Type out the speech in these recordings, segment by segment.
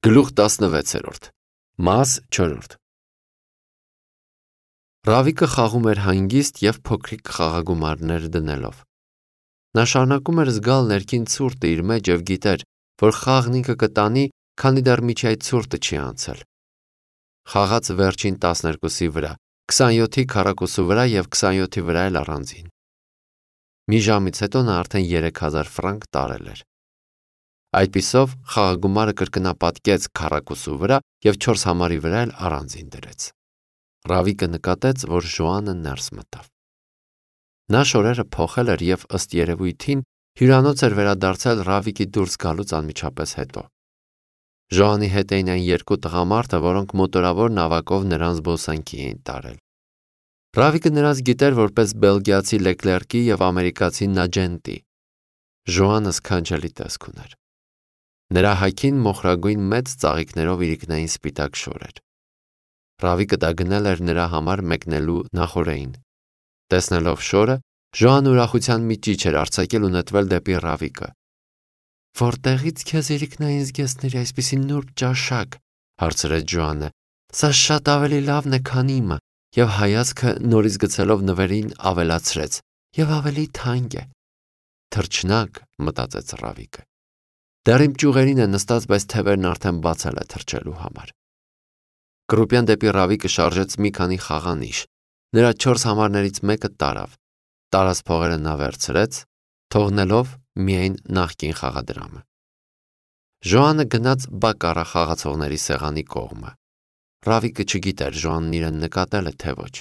Գլուխ 16 Մաս 4 Ռավիկը խաղում էր հանգիստ և փոքրիկ խաղագումարներ դնելով։ Նա շարունակում էր զգալ ներքին ցուրտը իր մեջ և գիտեր, որ խաղն ինքը կտանի, քանի դեռ միջի այդ ցուրտը չի անցել։ Խաղաց վերջին 12-ի վրա, 27-ի քառակուսու վրա և 27-ի վրա էլ առանձին։ Մի ժամից հետո նա արդեն 3000 ֆրանկ տարել էր։ Այդպիսով խաղագումարը կրկնապատկեց քառակուսու վրա և 4 համարի վրա էլ առանձին դրեց։ Ռավիկը նկատեց, որ Ժոանը ներս մտավ։ Նա շորերը փոխել էր և ըստ երևույթին հյուրանոց էր վերադարձել Ռավիկի դուրս գալուց անմիջապես հետո։ Ժոանի հետ էին այն երկու տղամարդը, որոնք մոտորավոր նավակով նրան զբոսանքի էին տարել։ Ռավիկը նրանց գիտեր որպես բելգիացի Լեկլերկի և ամերիկացի Նաջենտի։ Ժոանը սքանչելի տեսք ուներ։ Նրա հագին մոխրագույն մեծ ծաղիկներով իրիկնային սպիտակ շոր էր։ Ռավիկը դա գնել էր նրա համար մեկնելու նախօրեին։ Տեսնելով շորը, Ժոանը ուրախության մի ճիչ էր արձակել ու նետվել դեպի Ռավիկը։ «Որտեղից քեզ իրիկնային զգեստների այսպիսի նուրբ ճաշակ», հարցրեց Ժոանը։ «Սա շատ ավելի լավն է, քան իմը», և հայացքը նորից գցելով նվերին ավելացրեց. «Եվ ավելի թանկ է»։ «Թռչնակ», մտածեց Ռավիկը։ Դեռ իմ ճյուղերին է նստած, բայց թևերն արդեն բացել է թռչելու համար։ Կրուպյան դեպի Ռավիկը շարժեց մի քանի խաղանիշ։ Նրա 4 համարներից մեկը տարավ։ Տարած փողերը նա վերցրեց, թողնելով միայն նախկին խաղադրամը։ Ժոանը գնաց բակկարա խաղացողների սեղանի կողմը։ Ռավիկը չգիտեր Ժոանն իրեն նկատել է, թե ոչ։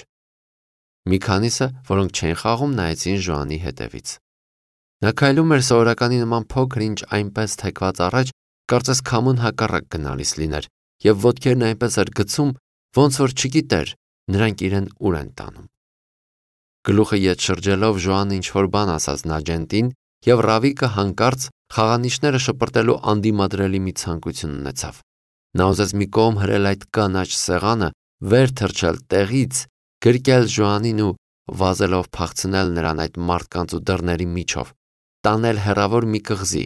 Մի քանիսը, որոնք չէին խաղում, նայեցին Ժոանի հետևից։ Նա քայլում էր սովորականի նման փոքր-ինչ այնպես թեքված առաջ, կարծես քամուն հակառակ գնալիս լիներ, և ոտքերն այնպես էր գցում, ոնց որ չգիտեր նրանք իրեն ուր են տանում։ Գլուխը ետ շրջելով Ժոանը ինչ-որ բան ասաց Նաջենտին, և Ռավիկը հանկարծ խաղանիշները շպրտելու անդիմադրելի մի ցանկություն ունեցավ։ Նա ուզեց մի կողմ հրել այդ կանաչ սեղանը, վեր թռչել տեղից, գրկել Ժոանին ու վազելով փախցնել նրան այդ մարդկանց ու դռների միջով, տանել հեռավոր մի կղզի,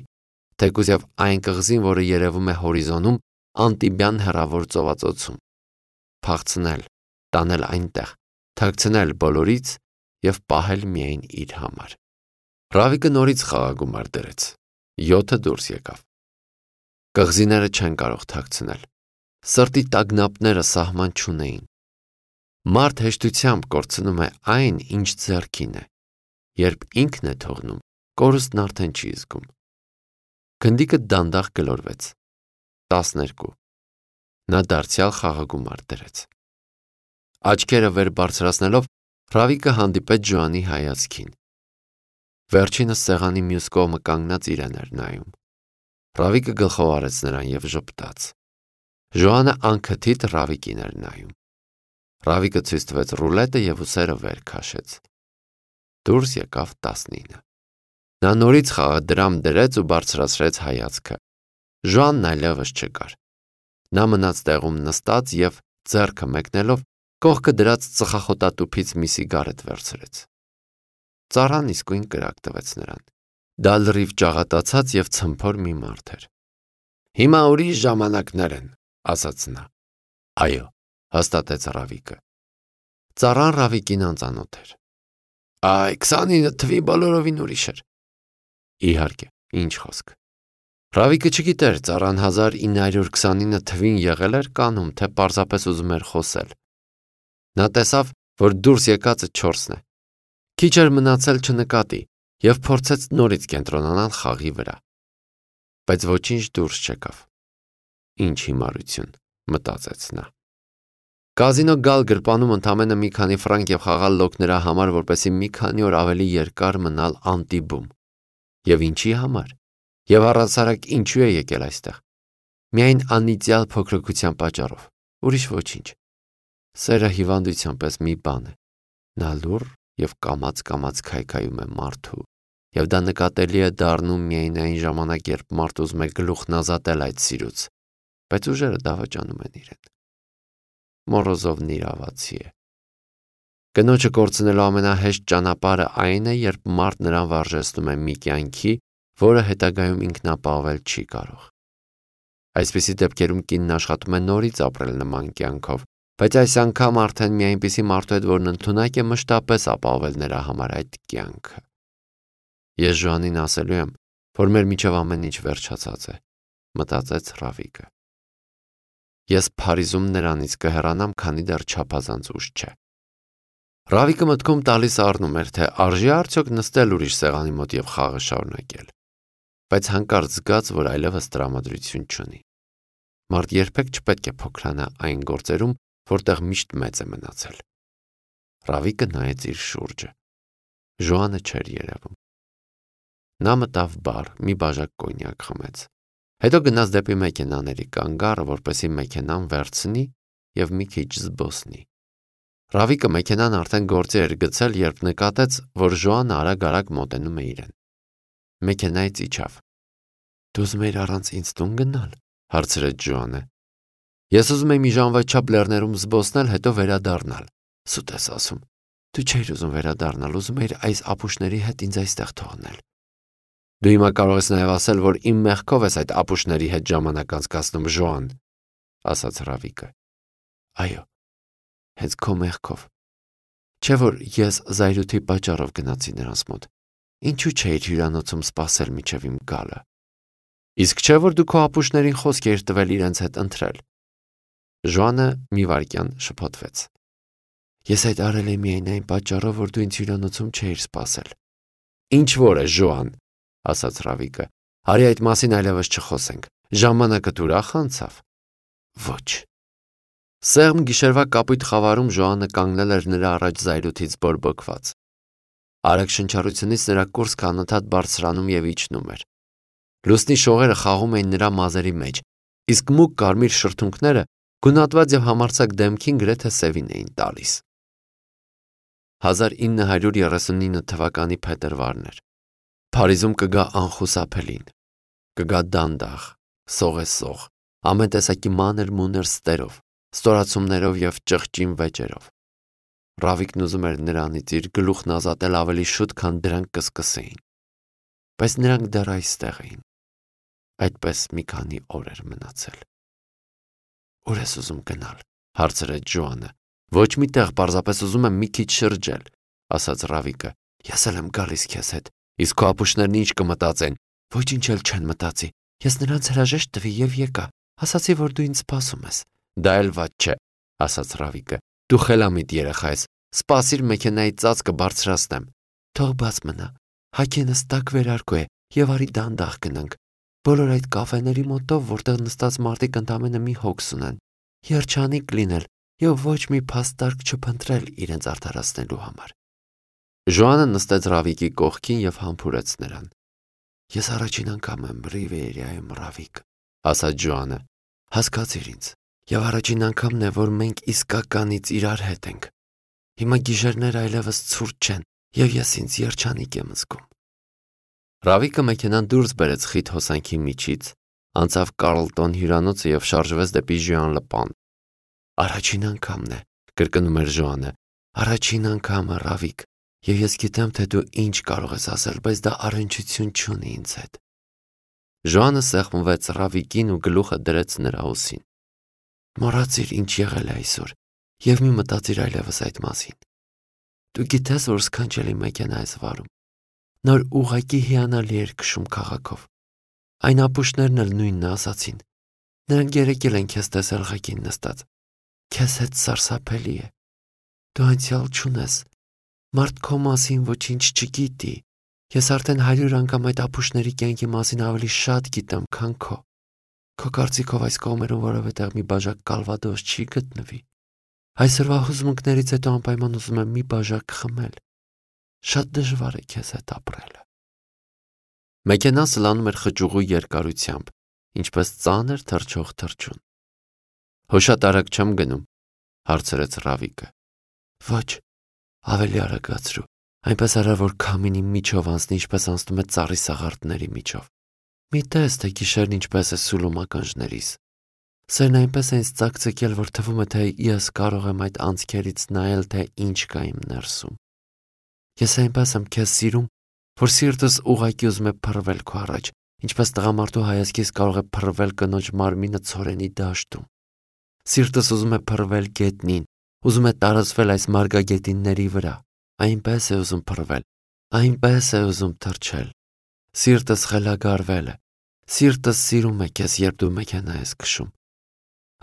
թեկուզև այն կղզին, որը երևում է հորիզոնում, անտիբյան հեռավոր ծովածոցում։ Փախցնել, տանել այնտեղ, թաքցնել բոլորից և պահել միայն իր համար։ Ռավիկը նորից խաղագումար դրեց։ 7-ը դուրս եկավ։ Կղզիները չեն կարող թաքցնել։ Սրտի տագնապները սահման չունեին։ Մարդ հեշտությամբ կորցնում է այն, ինչ ձեռքին է։ Երբ ինքն է թողնում, կորուստն արդեն չի զգում։ Գնդիկը դանդաղ գլորվեց։ 12։ Նա դարձյալ խաղագումար դրեց։ Աչքերը վեր բարձրացնելով, Ռավիկը հանդիպեց Ժոանի հայացքին։ Վերջինս սեղանի մյուս կողմը կանգնած իրեն էր նայում։ Ռավիկը գլխով արեց նրան և ժպտաց։ Ժոանը անքթիթ Ռավիկին էր նայում։ Ռավիկը ցույց տվեց ռուլետը և ուսերը վեր քաշեց։ Դուրս եկավ 19։ Նա նորից խաղադրամ դրեց ու բարձրացրեց հայացքը։ Ժոանն այլևս չկար։ Նա մնաց տեղում նստած և ձեռքը մեկնելով կողքը դրած ծխախոտատուփից մի սիգարետ վերցրեց։ Ծառան իսկույն կրակ տվեց նրան։ Դա լրիվ ճաղատացած և ցմփոր մի մարդ էր։ «Հիմա ուրիշ ժամանակներ են», ասաց նա։ «Այո», հաստատեց Ռավիկը։ Ծառան Ռավիկին անծանոթ էր։ «Այ, 29 թվի բոլորովին ուրիշ էր»։ Իհարկե, ինչ խոսք։ Ռավիկը չգիտեր ծառան 1929 թվին եղել էր կանում, թե պարզապես ուզում էր խոսել։ Նա տեսավ, որ դուրս եկածը 4-ն է։ Քիչ էր մնացել չնկատի և փորձեց նորից կենտրոնանալ խաղի վրա։ Բայց ոչինչ դուրս չեկավ։ Ինչ հիմարություն, մտածեց նա։ Կազինո գալ գրպանում ընդամենը մի քանի ֆրանկ և խաղալ լոկ նրա համար, որպեսզի մի քանի օր ավելի երկար մնալ Անտիբում։ Եվ ինչի համար։ Եվ առհասարակ ինչու է եկել այստեղ։ Միայն անիծյալ փոքրության պատճառով, ուրիշ ոչինչ։ Սերը հիվանդության պես մի բան է։ Նա լուռ և կամաց-կամաց քայքայում է մարդու, և դա նկատելի է դառնում միայն այն ժամանակ, երբ մարդ ուզում է գլուխն ազատել այդ սիրուց, բայց ուժերը դավաճանում են իրեն։ Մորոզովն իրավացի է։ Կնոջը կորցնելու ամենահեշտ ճանապարհը այն է, երբ մարդ նրան վարժեցնում է մի կյանքի, որը հետագայում ինքն ապահովել չի կարող։ Այսպիսի դեպքերում կինն աշխատում է նորից ապրել նման կյանքով, բայց այս անգամ արդեն մի այնպիսի մարդու հետ, որն ընդունակ է մշտապես ապահովել նրա համար այդ կյանքը։ Ես Ժոանին ասելու եմ, որ մեր միջև ամեն ինչ վերջացած է, մտածեց Ռավիկը։ Ես Փարիզում նրանից կհեռանամ, քանի դեռ չափազանց ուշ չէ։ Ռավիկը մտքում տալիս առնում էր, թե արժի արդյոք նստել ուրիշ սեղանի մոտ եւ խաղը շարունակել, բայց հանկարծ զգաց, որ այլևս տրամադրություն չունի։ Մարդ երբեք չպետք է փոքրանա այն գործերում, որտեղ միշտ մեծ է մնացել։ Ռավիկը նայեց իր շուրջը։ Ժոանը չէր երևում։ Նա մտավ բար, մի բաժակ կոնյակ խմեց։ Հետո գնաց դեպի մեքենաների կանգառը, որպեսզի մեքենան վերցնի եւ մի քիչ զբոսնի։ Ռավիկը մեքենան արդեն գործի էր գցել, երբ նկատեց, որ Ժոանը արագ-արագ մոտենում է իրեն։ Մեքենայից իջավ։ Դու ուզում ես առանց ինձ տուն գնալ, հարցրեց Ժոանը։ Ես ուզում եմ մի ժամվա չափ լեռներում զբոսնել, հետո վերադառնալ։ Սուտ ես ասում։ Դու չէիր ուզում վերադառնալ, ուզում էիր այս ապուշների հետ ինձ այստեղ թողնել։ Դու հիմա կարող ես նաև ասել, որ իմ մեղքով ես այդ ապուշների հետ ժամանակ անցկացնում, Ժոան, ասաց Ռավիկը։ Այո, հենց քո մեղքով։ Չէ՞ որ ես զայրույթի պատճառով գնացի նրանց մոտ։ Ինչու չէիր հյուրանոցում սպասել մինչև իմ գալը։ Իսկ չէ՞ որ դու քո ապուշներին խոսք էիր տվել իրենց հետ ընթրել։ Ժոանը մի վայրկյան շփոթվեց։ Ես այդ արել եմ միայն այն պատճառով, որ դու ինձ հյուրանոցում չէիր սպասել։ Ինչ որ է, Ժոան, ասաց Ռավիկը։ Արի այդ մասին այլևս չխոսենք։ Ժամանակը ուրախ անցավ։ Ոչ։ Սեղմ գիշերվա կապույտ խավարում Ժոանը կանգնել էր նրա առաջ զայրույթից բորբոքված։ Արագ շնչառությունից նրա կուրծքը անընդհատ բարձրանում եւ իջնում էր։ Լուսնի շողերը խաղում էին նրա մազերի մեջ, իսկ մուգ կարմիր շրթունքները գունատված եւ համարձակ դեմքին գրեթե սևին էին տալիս։ 1939 թվականի փետրվարն էր։ Փարիզում կգա անխուսափելին, կգա դանդաղ, սողեսող, ամեն տեսակի մանր-մունր ստերով, ստորացումներով եւ ճղճին վեճերով։ Ռավիկն ուզում էր նրանից իր գլուխն ազատել ավելի շուտ, քան դրանք կսկսեին։ Բայց նրանք դեռ այստեղ էին։ Այդպես մի քանի օր էր մնացել։ Ուր ես ուզում գնալ, հարցրեց Ժոանը։ Ոչ մի տեղ, պարզապես ուզում եմ մի քիչ շրջել, ասաց Ռավիկը։ Ես էլ եմ գալիս քեզ հետ։ Իսկ քո ապուշներն ինչ կմտածեն։ Ոչինչ էլ չեն մտածի։ Ես նրանց հրաժեշտ տվի եւ եկա։ Ասացի, որ դու ինձ սպասում ես։ Դա էլ վատ չէ, ասաց Ռավիկը։ Դու խելամիտ երեխա ես։ Սպասիր մեքենայի ծածկը բարձրացնեմ։ Թող բաց մնա։ Հագենս տակ վերարկու է եւ արի դանդաղ գնանք։ Բոլոր այդ կաֆեների մոտով, որտեղ նստած մարդիկ ընդամենը մի հոգս ունեն։ Երջանիկ լինել եւ ոչ մի փաստարկ չփնտրել իրենց արդարացնելու համար։ Ժոանը նստեց Ռավիկի կողքին եւ համբուրեց նրան։ Ես առաջին անգամ եմ Ռիվիերայում, Ռավիկ, ասաց Ժոանը։ Հասկացիր ինձ։ Եվ առաջին անգամն է, որ մենք իսկականից իրար հետ ենք։ Հիմա գիշերները այլևս ցուրտ չեն եւ ես ինձ երջանիկ եմ զգում։ Ռավիկը մեքենան դուրս բերեց խիտ հոսանքի միջից, անցավ Կարլտոն հյուրանոցը եւ շարժվեց դեպի Ժյուան-Լը-Պան։ Առաջին անգամն է, կրկնում էր Ժոանը։ Առաջին անգամը, Ռավիկ, եւ ես գիտեմ, թե դու ինչ կարող ես ասել, բայց դա առնչություն չունի ինձ հետ։ Ժոանը սեղմվեց Ռավիկին ու գլուխը դրեց նրա ուսին։ Մոռացիր ինչ եղել է այսօր եւ մի մտածիր այլևս այդ մասին։ Դու գիտես, որ սքանչելի մեքենա ես վարում։ Նոր ուղակի հիանալի էր քշում քաղաքով։ Այն ապուշներն էլ նույնն ասացին։ Նրանք երեկել են քեզ տեսել ղեկին նստած։ Քեզ հետ սարսափելի է։ Դու անցյալ չունես։ Մարդ քո մասին ոչինչ չգիտի։ Ես արդեն 100 անգամ այդ ապուշների կյանքի մասին ավելի շատ գիտեմ, քան քո։ Քո կարծիքով այս կողմերում որևէտեղ մի բաժակ կալվադոս չի գտնվի։ Այսօրվա հուզմունքներից հետո անպայման ուզում եմ մի բաժակ խմել։ Շատ դժվար է քեզ հետ ապրելը։ Մեքենան սլանում էր խճուղու երկարությամբ, ինչպես ծանր թռչող թռչուն։ Հոշատ արագ չեմ գնում, հարցրեց Ռավիկը։ Ոչ, ավելի արագացրու, այնպես արա, որ քամինի միջով անցնի, ինչպես անցնում է ծառի սաղարթների միջով։ Մի տես, թե գիշերն ինչպես է սուլում ականջներիս։ Սերն այնպես է ինձ ծակծկել, որ թվում է, թե ես կարող եմ այդ անցքերից նայել, թե ինչ կա իմ ներսում։ Ես այնպես եմ քեզ սիրում, որ սիրտս ուղղակի ուզում է փռվել քո առաջ, ինչպես տղամարդու հայացքից կարող է փռվել կնոջ մարմինը ցորենի դաշտում։ Սիրտս ուզում է փռվել գետնին, ուզում է տարածվել այս մարգագետինների վրա, այնպես է ուզում փռվել, այնպես է ուզում թռչել։ Սիրտս խելագարվել է, սիրտս սիրում է քեզ, երբ դու մեքենա ես քշում։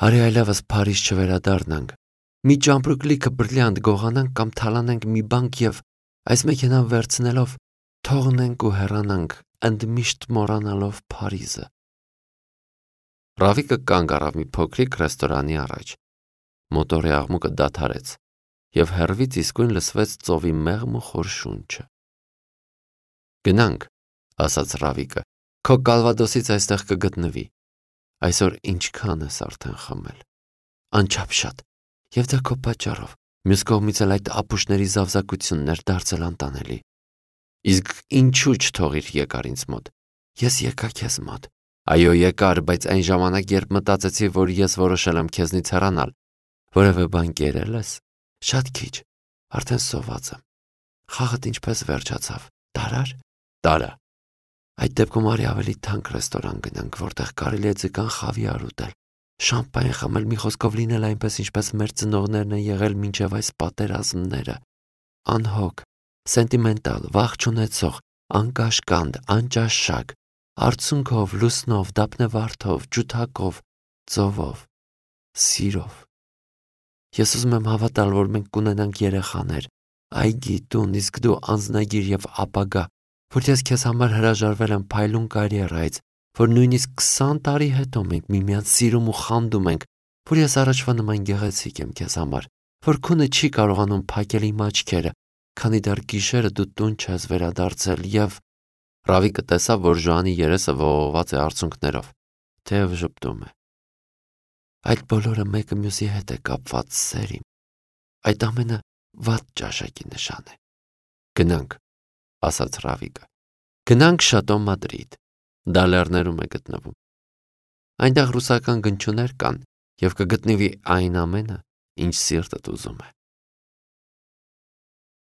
Արի այլևս Փարիզ չվերադառնանք, մի ճամպրուկ լիքը բրիլյանտ գողանանք կամ թալանենք մի բանկ և այս մեքենան վերցնելով թողնենք ու հեռանանք, ընդմիշտ մոռանալով Փարիզը։ Ռավիկը կանգ առավ մի փոքրիկ ռեստորանի առաջ։ Մոտորի աղմուկը դադարեց, և հեռվից իսկույն լսվեց ծովի մեղմ ու խոր շունչը։ Գնանք, ասաց Ռավիկը, քո կալվադոսից այստեղ կգտնվի։ Այսօր ինչքան ես արդեն խմել։ Անչափ և դա քո պատճառով, մյուս կողմից էլ այդ ապուշների զավզակությունն էր դարձել անտանելի։ Իսկ ինչու չթողիր եկար ինձ մոտ։ Ես եկա քեզ մոտ։ Այո, եկար, բայց այն ժամանակ, երբ մտածեցի, որ ես որոշել եմ քեզնից հեռանալ, որևէ բան կերել ես։ Շատ քիչ, արդեն սոված եմ։ Խաղդ ինչպես վերջացավ։ Տարա՞ր։ Տարա։ Այդ դեպքում արի ավելի թանկ ռեստորան գնանք, որտեղ կարելի է ձկան խավիար ուտել, շամպայն խմել, մի խոսքով լինել այնպես, ինչպես մեր ծնողներն են եղել մինչև այս պատերազմները։ Անհոգ, սենտիմենտալ, վախ չունեցող, անկաշկանդ, անճաշակ, արցունքով, լուսնով, դափնեվարդով, ջութակով, ծովով, սիրով։ Ես ուզում եմ հավատալ, որ մենք կունենանք երեխաներ, այգի, տուն, իսկ դու անձնագիր և ապագա, որ ես քեզ համար հրաժարվել եմ փայլուն կարիերայից, որ նույնիսկ 20 տարի հետո մենք միմյանց սիրում ու խանդում ենք, որ ես առաջվա նման գեղեցիկ եմ քեզ համար, որ քունը չի կարողանում փակել իմ աչքերը, քանի դեռ գիշերը դու տուն չես վերադարձել և… Ռավիկը տեսավ, որ Ժոանի երեսը ողողված է արցունքներով, թեև ժպտում է։ Այդ բոլորը մեկը մյուսի հետ է կապված, սեր իմ։ Այդ ամենը վատ ճաշակի նշան է։ Գնանք, ասաց Ռավիկը։ Գնանք Շատո Մադրիդ։ Դա լեռներում է գտնվում։ Այնտեղ ռուսական գնչուներ կան և կգտնվի այն ամենը, ինչ սիրտդ ուզում է։